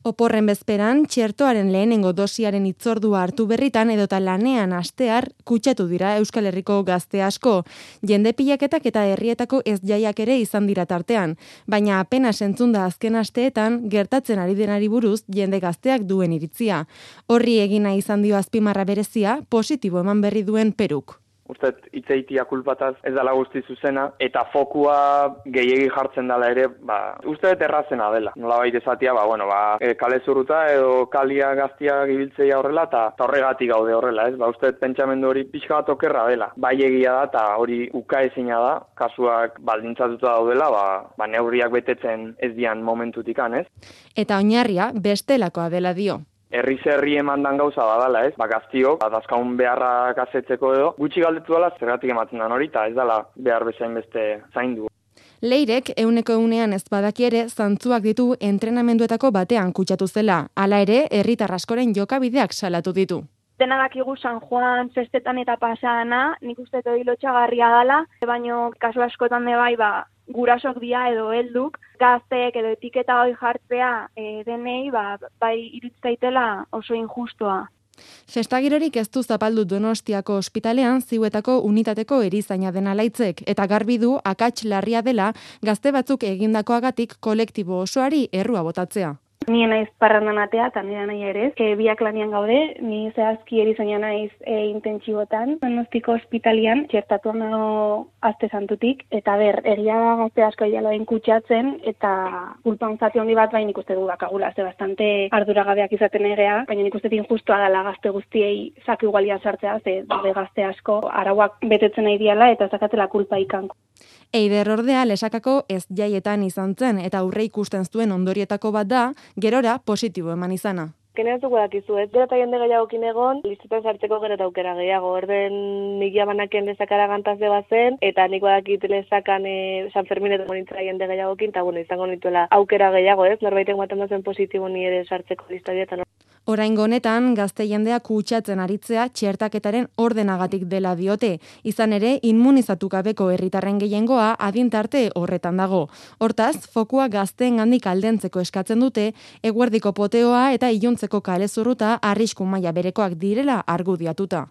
Oporren bezperan, txertoaren lehenengo dosiaren hitzordua hartu berritan edota lanean hastear kutsatu dira Euskal Herriko gazte asko. Jende pilaketak eta herrietako ez jaiak ere izan dira tartean, baina apenas entzunda azken asteetan gertatzen ari denari buruz jende gazteak duen iritzia. Horri egina izan dio azpimarra berezia, positibo eman berri duen Peruk. Usted hitzeitia kulpataz ez dela guzti zuzena, eta fokua gehiegi jartzen dela ere, uste errazena dela. Nolabait esatia, kale zurruta edo kalia gaztia gibiltzeia horrela, eta horregatik gaude horrela, ez? Uste pentsamendu hori pixka bat okerra dela. Bai egia da, eta hori ukaezina da, kasuak baldintzatuta daudela, neurriak betetzen ez dian momentutikan, ez? Eta oinarria bestelakoa dela dio. Herri emandan gauza badala, ez? Gaztiok, dazkaun beharrak asetzeko edo, gutxi galdetu dela zergatik ematen da hori, eta ez dela behar bezain beste zaindu. Leirek 100% ez badaki ere zantzuak ditu entrenamenduetako batean kutsatu zela. Hala ere, herritar askoren jokabideak salatu ditu. Dena dakigu San Juan festetan eta pasana, nik uste hori lotxagarria dela, baino kasu askotan bai, gurasok dia edo helduk, gazteek edo etiketa hori jartzea denei, bai iritzaitela oso injustua. Festagirorik ez du zapaldu Donostiako ospitalean ziuetako unitateko erizaina dena Laitzek, eta garbi du akats larria dela gazte batzuk egindakoagatik kolektibo osoari errua botatzea. Ni naiz parrandan atea, eta nire nahi ere, biak lanian gaude, ni zehazki erizaina naiz intentsibotan, Donostiko ospitalian, txertatu nago azte santutik, eta egia da gazte asko jaloen kutsatzen, eta kulpan zati handi bat nik uste du bakagula, ze bastante arduragabeak izaten egea, baina nik uste injustua dela gazte guztiei zaki igualian sartzea, ze gazte asko arauak betetzen nahi diala, eta zakatela kulpa ikanko. Eider ordea lesakako ez jaietan izan zen eta aurre ikusten zuen ondorietako bat da, gerora positibo eman izana. Kenean zuko dakizu, ez gero eta jende gehiagokin egon, listutan sartzeko gero eta aukera gehiago. Orden nik jabanaken lezakara gantazde bazen, eta nik badakit lezakan San Ferminetan nintzera jende gehiagokin, eta izango nituela aukera gehiago, ez? Norbaitek baten bazen positibo ni ere sartzeko listadietan. Oraingo honetan, gazte jendea kutsatzen aritzea txertaketaren ordenagatik dela diote. Izan ere, immunizatu gabeko herritarren gehiengoa adin tarte horretan dago. Hortaz, fokua gazteengandik aldentzeko eskatzen dute, eguerdiko poteoa eta iluntzeko kale zurruta arrisku maila berekoak direla argudiatuta.